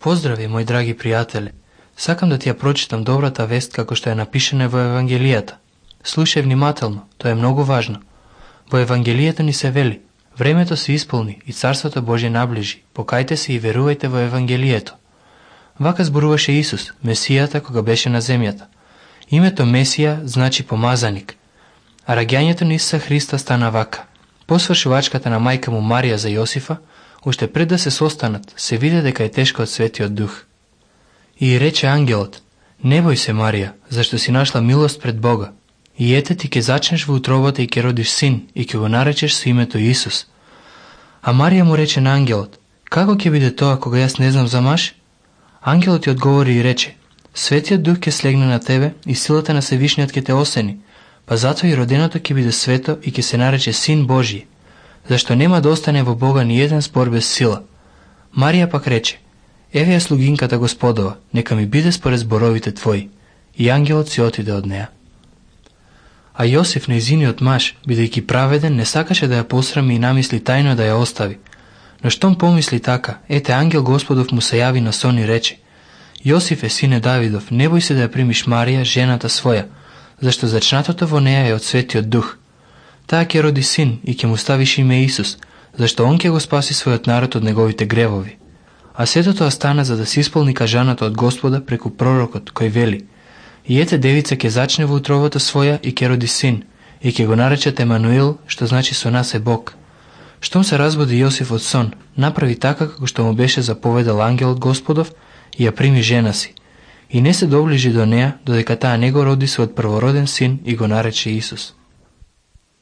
Поздрави, мои драги пријатели. Сакам да ти ја прочитам добрата вест како што е напишена во Евангелијата. Слушај внимателно, тоа е многу важно. Во Евангелијата ни се вели: времето се исполни и Царството Божје наближи. Покајте се и верувајте во Евангелието. Вака зборуваше Исус, Месијата, кога беше на земјата. Името Месија значи помазаник. А раѓањето на Исуса Христа стана вака. Посвршувачката на мајка му Марија за Јосифа, уште пред да се состанат, се виде дека е тешка од Светиот Дух. И рече ангелот: не бој се, Марија, зашто си нашла милост пред Бога. И ете ти ќе зачнеш во утробата и ќе родиш син, и ќе го наречеш со името Исус. А Марија му рече на ангелот: како ќе биде тоа кога јас не знам за маж? Ангелот ја одговори и рече: Светиот Дух ќе слегне на тебе и силата на Севишниот ќе те осени, па затоа и роденото ќе биде свето и ќе се нарече Син Божји, зашто нема да остане во Бога ни еден спор без сила. Марија пак рече: еве ја слугинката Господова, нека ми биде според зборовите твои. И ангелот си отиде од неа. А Јосиф, нејзиниот маж, бидејќи праведен, не сакаше да ја посрами и намисли тајно да ја остави. Но штом помисли така, ете ангел Господов му се јави на сон и рече: Јосифе, сине Давидов, не бој се да ја примиш Марија, жената своја, зашто зачнатото во неја е од Светиот Дух. Таа ќе роди син и ќе му ставиш име Исус, зашто он ќе го спаси својот народ од неговите гревови. А сето тоа стана за да се исполни кажаното од Господа преку пророкот, кој вели: и ете девица ќе зачне во утробата своја и ќе роди син, и ќе го наречат Емануил, што значи со нас е Бог. Штом се разбуди Јосиф од сон, направи така како што му беше заповедал ангелот Господов и ја прими жена си. И не се доближи до неа, додека таа не го роди својот првороден син и го нарече Исус.